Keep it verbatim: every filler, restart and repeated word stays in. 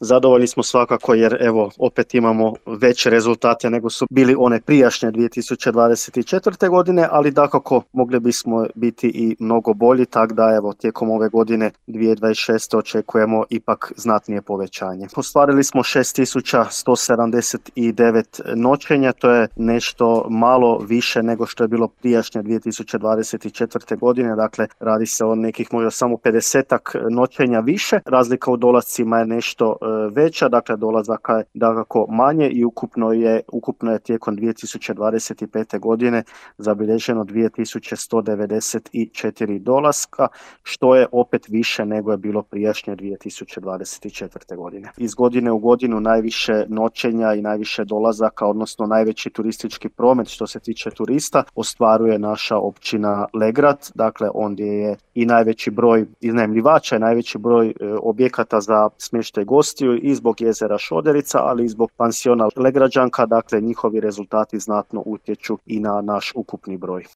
Zadovoljni smo svakako jer evo opet imamo veće rezultate nego su bili one prijašnje dvije tisuće dvadeset četvrte. godine, ali dakako mogli bismo biti i mnogo bolji, tako da evo tijekom ove godine dvije tisuće dvadeset šeste. očekujemo ipak znatnije povećanje. Ostvarili smo šest tisuća sto sedamdeset devet noćenja, to je nešto malo više nego što je bilo prijašnje dvije tisuće dvadeset četvrte. godine, dakle radi se o nekih možda samo pedesetak noćenja više. Razlika u dolascima je nešto veća, dakle dolazaka je dakako manje i ukupno je, ukupno je tijekom dvije tisuće dvadeset pete. godine zabilježeno dvije tisuće sto devedeset četiri dolaska, što je opet više nego je bilo prijašnje dvije tisuće dvadeset četvrte. godine. Iz godine u godinu najviše noćenja i najviše dolazaka, odnosno najveći turistički promet što se tiče turista, ostvaruje naša općina Legrad, dakle ondje je i najveći broj iznajmljivača i najveći broj e, objekata za smještaj gostiju i zbog jezera Šoderica, ali i zbog pansiona Legrađanka, dakle njihovi rezultati znatno utječu i na naš ukupni broj.